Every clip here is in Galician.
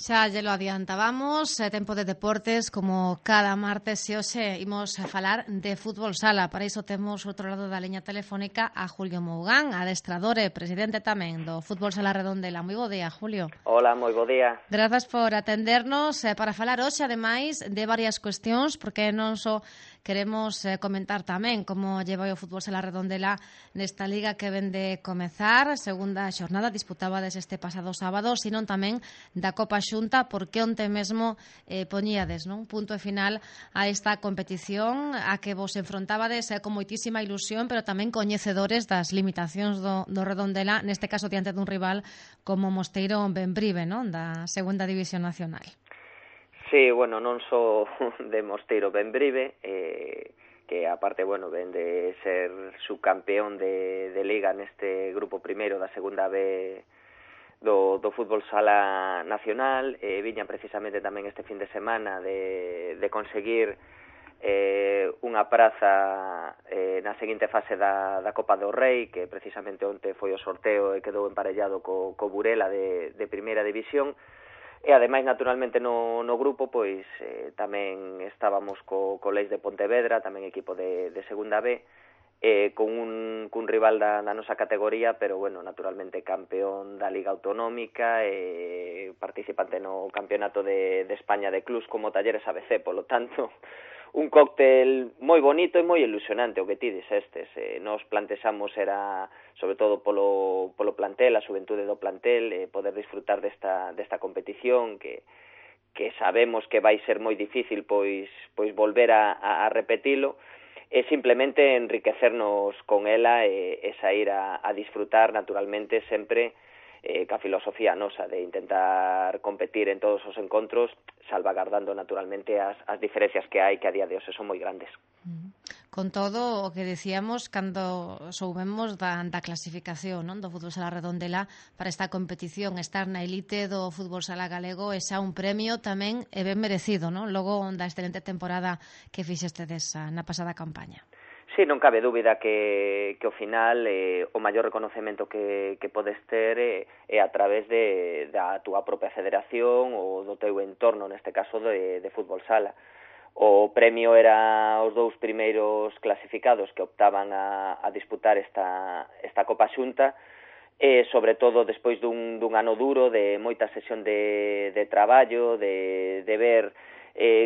Xa lle lo adiantábamos, tempo de deportes como cada martes e hoxe imos a falar de fútbol sala. Para iso temos outro lado da liña telefónica a Julio Mougán, adestrador e presidente tamén do fútbol sala Redondela. Moi bo día, Julio. Hola, moi bo día. Grazas por atendernos para falar hoxe, ademais, de varias cuestións, porque non só queremos comentar tamén como lleva o fútbol sala Redondela nesta liga que ven de comezar, segunda xornada, disputabades este pasado sábado, sino tamén da Copa Xunta, porque onte mesmo poñíades, non, punto final a esta competición a que vos enfrontabades con moitísima ilusión, pero tamén coñecedores das limitacións do Redondela, neste caso diante dun rival como Mosteiro Bembrive, non, da segunda división nacional. Sí, bueno, non só de Mosteiro Bembrive, que aparte, bueno, ven de ser subcampeón de Liga neste grupo primeiro da segunda B do fútbol sala nacional, viñan precisamente tamén este fin de semana de conseguir unha praza na seguinte fase da Copa do Rei, que precisamente onte foi o sorteo e quedou emparellado co Burela de primeira división. E ademais, naturalmente, no grupo, pois tamén estábamos co Leis de Pontevedra, tamén equipo de segunda B, con un rival da nosa categoría, pero, bueno, naturalmente campeón da Liga Autonómica, participante no Campeonato de España de Clubs como Talleres ABC, polo tanto, un cóctel moi bonito e moi ilusionante o que ti dixestes. Nos plantexamos era, sobre todo polo plantel, a xuventude do plantel, poder disfrutar desta competición que sabemos que vai ser moi difícil pois volver a repetilo, e simplemente enriquecernos con ela e sair a disfrutar, naturalmente, sempre ca filosofía nosa de intentar competir en todos os encontros, salvagardando naturalmente as diferencias que hai, que a día de hoxe son moi grandes. Con todo o que decíamos cando soubemos da clasificación, non, do fútbol sala Redondela para esta competición, estar na elite do fútbol sala galego é xa un premio tamén e ben merecido, non? Logo da excelente temporada que fixestedes na pasada campaña. Sí, non cabe dúbida que ao final o maior reconocemento que podes ter é a través da túa propia federación ou do teu entorno, neste caso de fútbol sala. O premio era os dous primeiros clasificados que optaban a disputar esta Copa Xunta, e sobre todo despois dun ano duro de moita sesión de traballo, de ver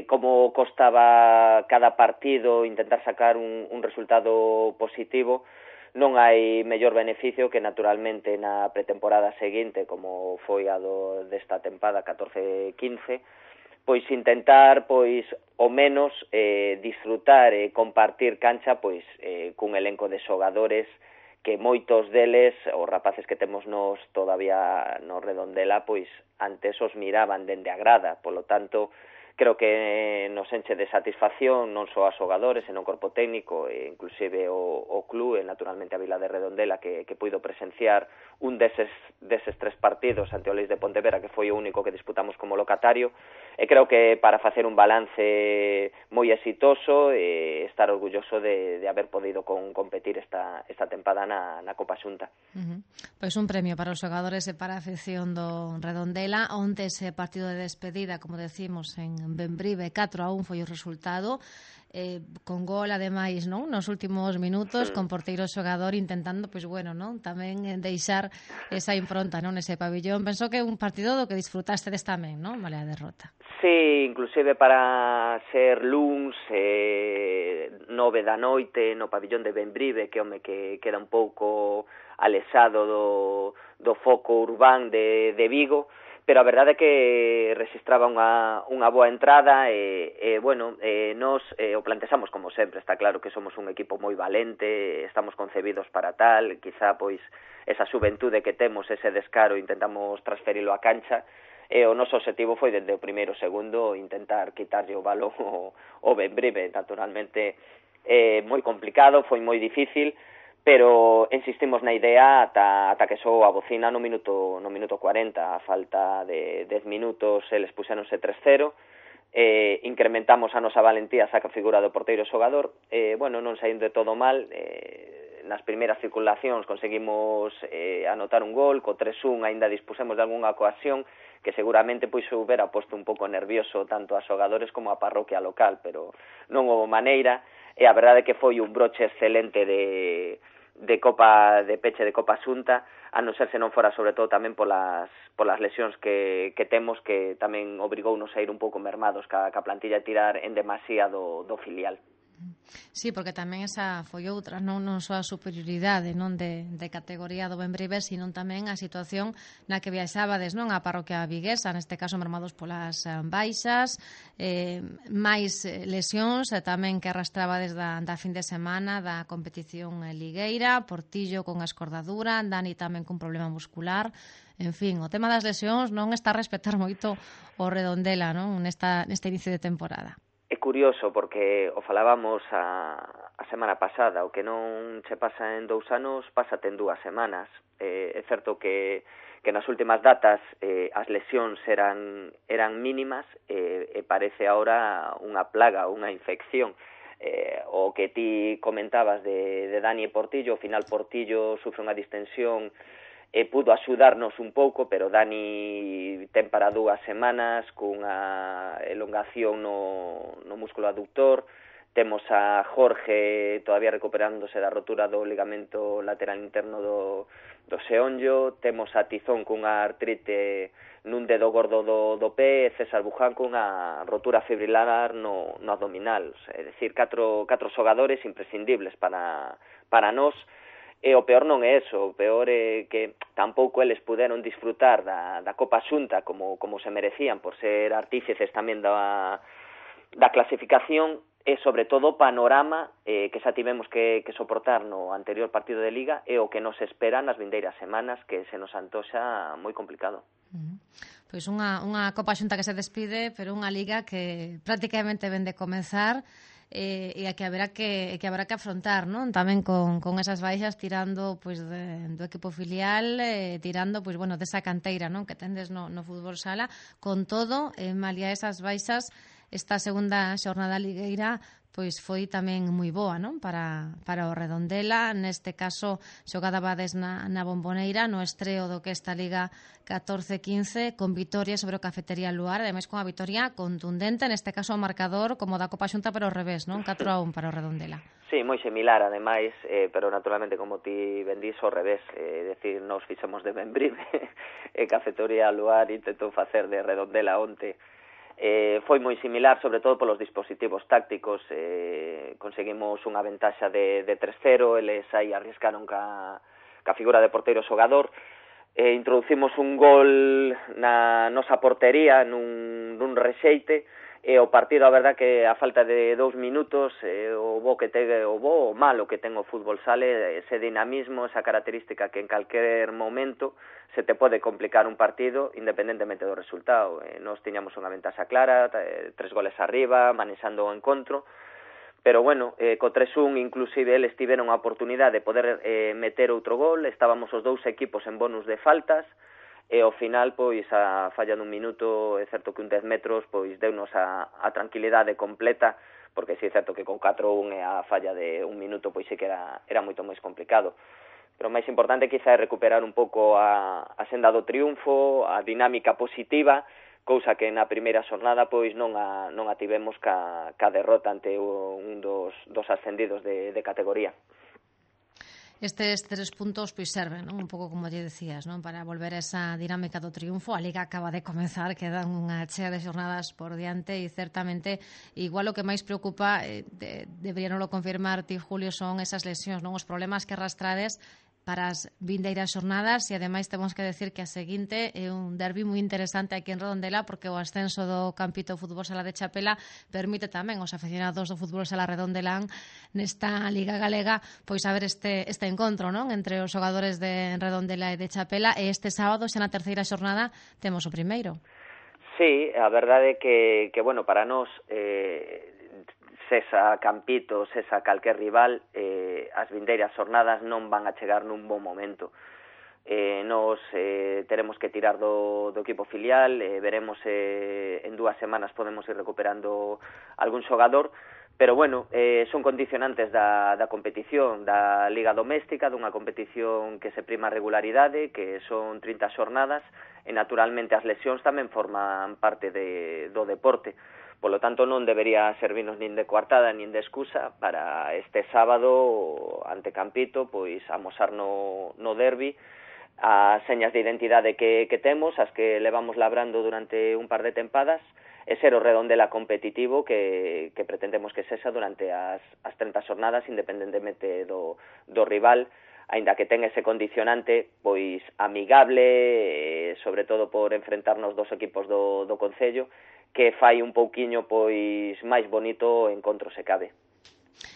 como costaba cada partido intentar sacar un resultado positivo. Non hai mellor beneficio que naturalmente na pretemporada seguinte, como foi a desta tempada 14-15, pois intentar ao menos disfrutar e compartir cancha cun elenco de xogadores que moitos deles, os rapaces que temos nos todavía no Redondela, antes os miraban dende a grada, polo tanto creo que nos enche de satisfacción non só a xogadores, senón o corpo técnico e inclusive o club e naturalmente a Vila de Redondela que puido presenciar un deses 3 partidos ante o Leis de Pontevedra, que foi o único que disputamos como locatario, e creo que para facer un balance moi exitoso e estar orgulloso de haber podido competir esta tempada na Copa Xunta. Pois un premio para os xogadores e para a afección do Redondela. Onte ese partido de despedida, como decimos, en Bembrive, 4-1 foi o resultado, con gol ademais, non, nos últimos minutos, con porteiro xogador intentando, non, tamén deixar esa impronta, non, nese pabillón. Penso que é un partido do que disfrutastes tamén, non, vale a derrota. Sí, inclusive para ser luns 9 da noite no pabillón de Bembrive, que queda un pouco alexado do foco urbán de Vigo, pero a verdade é que registraba unha boa entrada nos o plantexamos como sempre. Está claro que somos un equipo moi valente, estamos concebidos para tal, quizá esa xuventude que temos, ese descaro, intentamos transferilo á cancha, e o noso objetivo foi desde o primeiro segundo intentar quitarlle o balón ao Bembrive. Naturalmente moi complicado, foi moi difícil, pero insistimos na idea ata que soou a bocina no minuto 40, a falta de 10 minutos eles puxéronse 3-0, incrementamos a nosa valentía, saca figura do porteiro xogador, non saindo de todo mal, nas primeiras circulacións conseguimos anotar un gol, co 3-1 aínda dispusemos de algunha ocasión que seguramente pois houbera posto un pouco nervioso tanto a xogadores como a parroquia local, pero non houve maneira, e a verdade é que foi un broche excelente de Copa de peche de Copa Xunta, a non ser se non fora sobre todo tamén polas lesións que temos, que tamén obrigounos a ir un pouco mermados ca plantilla a tirar en demasía do filial. Sí, porque tamén esa foi outra, non só a superioridade non de categoría do Bembrive, sino tamén a situación na que viaxabades, non, a parroquia viguesa, neste caso mermados polas baixas, máis lesións, tamén que arrastrabades da fin de semana da competición ligueira, Portillo con a escordadura, Dani tamén cun problema muscular. En fin, o tema das lesións non está a respetar moito o Redondela, non, neste inicio de temporada. É curioso porque o falábamos a semana pasada, o que non che pasa en 2 anos, pásate en 2 semanas. É certo que nas últimas datas as lesións eran mínimas e parece ahora unha plaga, unha infección. O que ti comentabas de Dani e Portillo, ao final Portillo sufre unha distensión e pudo axudarnos un pouco, pero Dani ten para 2 semanas cunha elongación no músculo aductor. Temos a Jorge todavía recuperándose da rotura do ligamento lateral interno do xeonllo. Temos a Tizón cunha artrite nun dedo gordo do pé, e César Buján cunha rotura fibrilar no abdominal. É dicir, 4 xogadores imprescindibles para nós. E o peor non é eso, o peor é que tampouco eles puderon disfrutar da Copa Xunta como se merecían por ser artífices tamén da clasificación, e sobre todo o panorama que xa tivemos que soportar no anterior partido de Liga e o que nos espera nas vindeiras semanas, que se nos antoxa moi complicado. Pois unha Copa Xunta que se despide, pero unha Liga que prácticamente ven de comezar, e a que haberá que afrontar, non? Tamén con esas baixas, tirando pois do equipo filial, tirando pois bueno, desa canteira, non, que tendes no fútbol sala. Con todo, malia esas baixas, esta segunda xornada ligueira pois foi tamén moi boa, non? Para o Redondela, neste caso xogada vades na Bomboneira, no estreo do que esta Liga 14-15, con vitoria sobre o Cafetería Luar, ademais con a vitoria contundente, neste caso o marcador como da Copa Xunta, pero ao revés, non? 4-1 para o Redondela. Sí, moi similar, ademais, pero naturalmente, como ti ben dís, ao revés, decir, nos fixemos de Bembrive, e Cafetería Luar intentou facer de Redondela onte. Foi moi similar, sobre todo polos dispositivos tácticos. Conseguimos unha ventaxa de 3-0, eles aí arriscaron ca figura de porteiro xogador. Introducimos un gol na nosa portería nun rexeite, e o partido, a verdad, que a falta de 2 minutos, o malo que ten o fútbol sale, ese dinamismo, esa característica que en calquer momento se te pode complicar un partido independentemente do resultado. Nos tiñamos unha ventaxa clara, 3 goles arriba, manexando o encontro, pero bueno, co 3-1 inclusive eles tiveron a oportunidade de poder meter outro gol. Estábamos os 2 equipos en bonus de faltas, e ao final, pois, a falla dun minuto, é certo que un 10 metros, pois, deunos a tranquilidade completa, porque si é certo que con 4-1 e a falla de un minuto, pois, sí que era moito máis complicado. Pero o máis importante quizá é recuperar un pouco a senda do triunfo, a dinámica positiva, cousa que na primeira xornada, pois, non a tivemos ca derrota ante un dos ascendidos de categoría. Estes 3 puntos pois serven, non? Un pouco como lle decías, non? Para volver a esa dinámica do triunfo. A Liga acaba de comezar, quedan unha chea de xornadas por diante, e certamente igual o que máis preocupa, deberían lo confirmar ti, Julio, son esas lesións, non? Os problemas que arrastrades para as vindeiras xornadas, e ademais temos que decir que a seguinte é un derbi moi interesante aquí en Redondela, porque o ascenso do Campito Fútbol Sala de Chapela permite tamén aos aficionados do Fútbol Sala Redondelán nesta Liga Galega pois haber este encontro, non, entre os xogadores de Redondela e de Chapela, e este sábado xa na terceira xornada temos o primeiro. Sí, a verdade é que bueno, para nós sesa Campito, sesa calquer rival, as vindeiras xornadas non van a chegar nun bon momento. Nos teremos que tirar do equipo filial, veremos en 2 semanas podemos ir recuperando algún xogador, Pero, bueno, son condicionantes da competición, da Liga Doméstica, dunha competición que se prima a regularidade, que son 30 xornadas, e naturalmente as lesións tamén forman parte do deporte. Polo tanto, non debería servirnos nin de coartada nin de excusa para este sábado ante Campito, pois amosar no derbi as señas de identidade que temos, as que levamos labrando durante un par de tempadas, e ser o Redondela competitivo que pretendemos que sexa durante as 30 xornadas, independentemente do rival, aínda que ten ese condicionante pois amigable, sobre todo por enfrentarnos dos equipos do Concello, que fai un pouquiño pois máis bonito o encontro se cabe.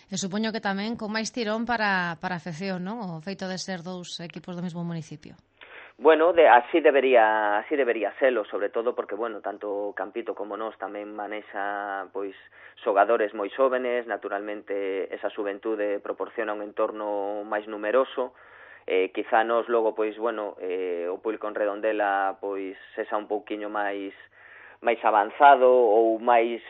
E supoño que tamén con máis tirón para a afección, non? O feito de ser dous equipos do mesmo municipio. Bueno, así debería selo, sobre todo porque, bueno, tanto Campito como nós tamén manexa pois xogadores moi xóvenes, naturalmente esa xuventude proporciona un entorno máis numeroso, quizá nos logo, pois, bueno, o público en Redondela pois sexa un pouquiño máis avanzado ou máis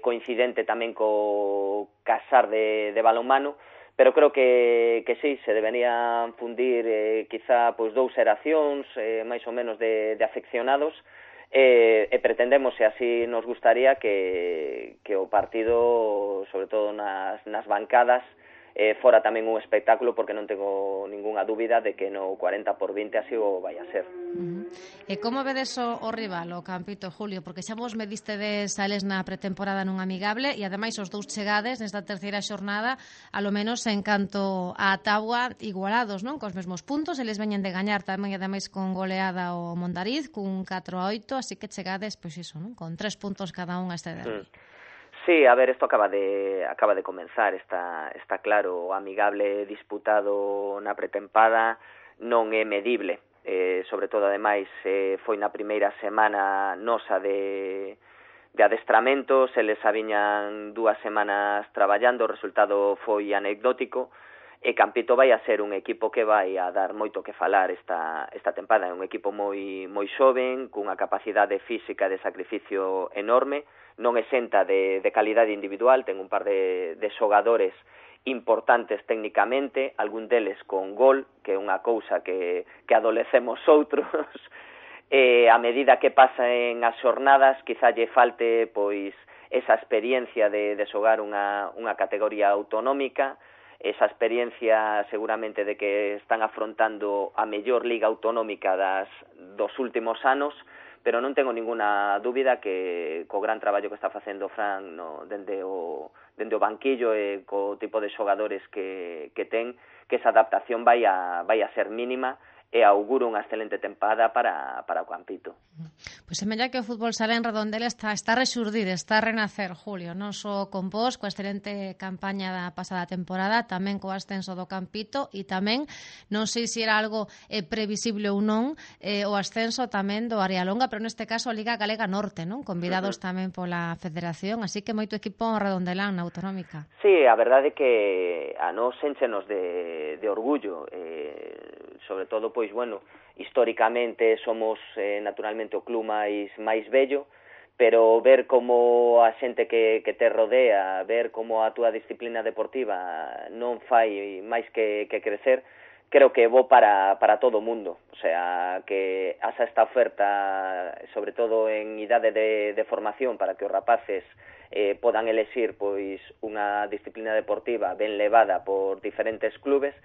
coincidente tamén co casar de balonmano, pero creo que sí, se deberían fundir quizá pois dous xeracións máis ou menos de afeccionados, e pretendemos, e así nos gustaría, que o partido, sobre todo nas bancadas, fora tamén un espectáculo, porque non tengo ningunha dúbida de que no 40-20 así o vai a ser. E como vedes o rival, o Campito, Julio? Porque xa vos medistedes a eles na pretemporada nun amigable e ademais os dous chegades nesta terceira xornada, a lo menos en canto a táboa, igualados, non? Cos mesmos puntos, eles veñen de gañar tamén e ademais con goleada o Mondariz, cun 4-8, así que chegades, pois iso, non? Con 3 puntos cada un a este derbi. Sí, a ver, isto acaba de comenzar, está claro, o amigable disputado na pretempada non é medible, sobre todo, ademais, foi na primeira semana nosa de adestramentos, eles viñan 2 semanas traballando, o resultado foi anecdótico, e Campito vai a ser un equipo que vai a dar moito que falar esta tempada. É un equipo moi xoven, cunha capacidade física de sacrificio enorme, non exenta de calidade individual, ten un par de xogadores importantes técnicamente, algún deles con gol, que é unha cousa que adolecemos outros, e a medida que pasen as xornadas, quizá lle falte pois esa experiencia de xogar unha categoría autonómica, esa experiencia seguramente de que están afrontando a mellor liga autonómica dos últimos anos, pero non tengo ninguna dúbida que co gran traballo que está facendo Fran dende o banquillo e co tipo de xogadores que ten, que esa adaptación vai a ser mínima, e auguro unha excelente tempada para o Campito. Pois semella que o fútbol sala en Redondela está a rexurdir, está a renacer, Julio, non só con vos, coa excelente campaña da pasada temporada, tamén co ascenso do Campito, e tamén, non sei se era algo previsible ou non, o ascenso tamén do Arialonga, pero neste caso a Liga Galega Norte, non? Convidados tamén pola Federación, así que moito equipo redondelán na autonómica. Sí, a verdade é que a nos énchenos de orgullo, sobre todo, pois, bueno, históricamente somos naturalmente o club máis bello, pero ver como a xente que te rodea, ver como a túa disciplina deportiva non fai máis que crecer, creo que é bo para todo o mundo. O sea, que haxa esta oferta, sobre todo en idade de formación, para que os rapaces podan elexir pois unha disciplina deportiva ben levada por diferentes clubes,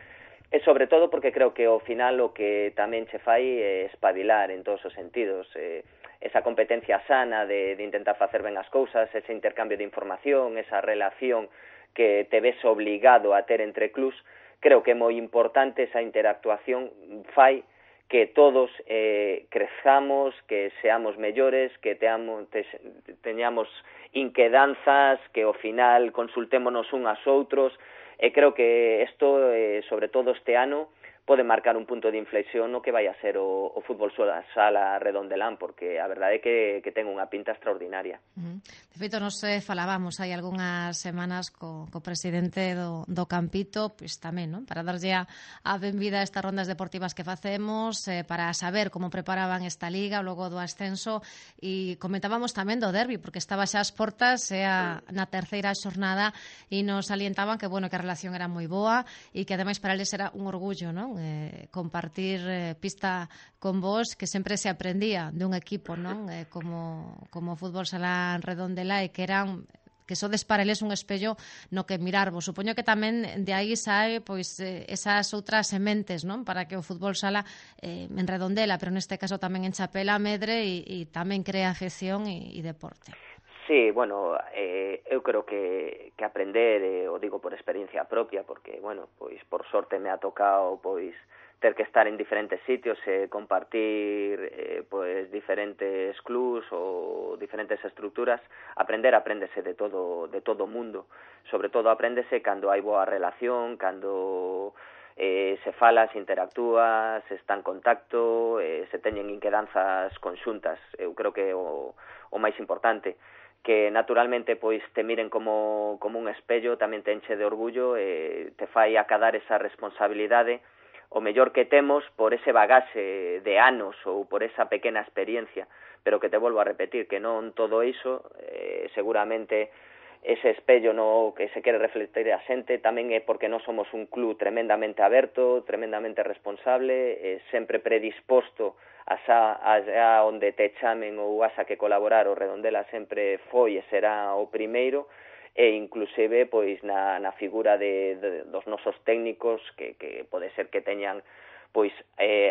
e sobre todo porque creo que ao final o que tamén che fai é espabilar en todos os sentidos, esa competencia sana de intentar facer ben as cousas, ese intercambio de información, esa relación que te ves obligado a ter entre clubs. Creo que é moi importante esa interactuación, fai que todos crezamos, que seamos mellores, que teñamos inquedanzas, que ao final consultémonos uns aos outros, e creo que isto, sobre todo este ano, pode marcar un punto de inflexión no que vai a ser o fútbol sala redondelán, porque a verdade é que ten unha pinta extraordinaria. De feito, nos falábamos hai algunhas semanas co presidente do Campito, pois tamén, non? Para darlle a benvida a estas rondas deportivas que facemos, para saber como preparaban esta liga, logo do ascenso, e comentábamos tamén do derbi, porque estaba xa ás portas, na terceira xornada, e nos alientaban que, bueno, que a relación era moi boa, e que ademais para eles era un orgullo, non? Compartir pista con vos, que sempre se aprendía dun equipo, non? Como Fútbol Sala Redondela, e que sodes para eles un espello no que mirarvos. Supoño que tamén de aí sae pois esas outras sementes, non? Para que o fútbol sala en Redondela, pero neste caso tamén en Chapela, medre e tamén crea afección e deporte. Sí, bueno, eu creo que aprender, o digo por experiencia propia, porque, bueno, pois por sorte me ha tocado pois ter que estar en diferentes sitios e compartir pois diferentes clubs ou diferentes estruturas. Apréndese de todo o mundo. Sobre todo apréndese cando hai boa relación, cando se fala, se interactúa, se está en contacto, se teñen inquedanzas conxuntas. Eu creo que o máis importante, que naturalmente pois te miren como un espello, tamén te enche de orgullo e te fai acadar esa responsabilidade o mellor que temos por ese bagaxe de anos ou por esa pequena experiencia, pero que te volvo a repetir que non todo iso, seguramente ese espello no que se quere reflectir a xente tamén é porque non somos un club tremendamente aberto, tremendamente responsable, sempre predisposto a onde te chamen ou a que colaborar. O Redondela sempre foi e será o primeiro, e inclusive pois na figura dos nosos técnicos que pode ser que teñan pois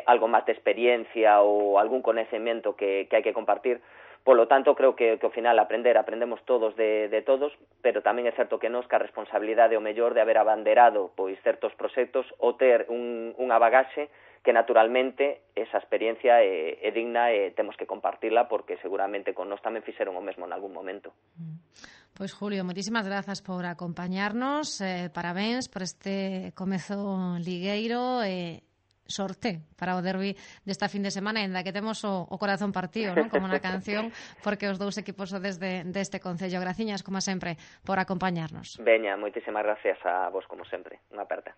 algo máis de experiencia ou algún coñecemento que hai que compartir. Polo tanto, creo que ao final aprendemos todos de todos, pero tamén é certo que nos que a responsabilidade o mellor de haber abanderado pois certos proxectos ou ter unha bagaxe que naturalmente esa experiencia é digna e temos que compartirla, porque seguramente con nós tamén fixeron o mesmo en algún momento. Pois Julio, moitísimas grazas por acompañarnos, parabéns por este comezo ligueiro e sorte para o derbi desta fin de semana, ainda que temos o corazón partido, non? Como na canción, porque os dous equipos sodes deste concello. Graciñas, como sempre, por acompañarnos. Veña, moitísimas gracias a vos, como sempre. Unha aperta.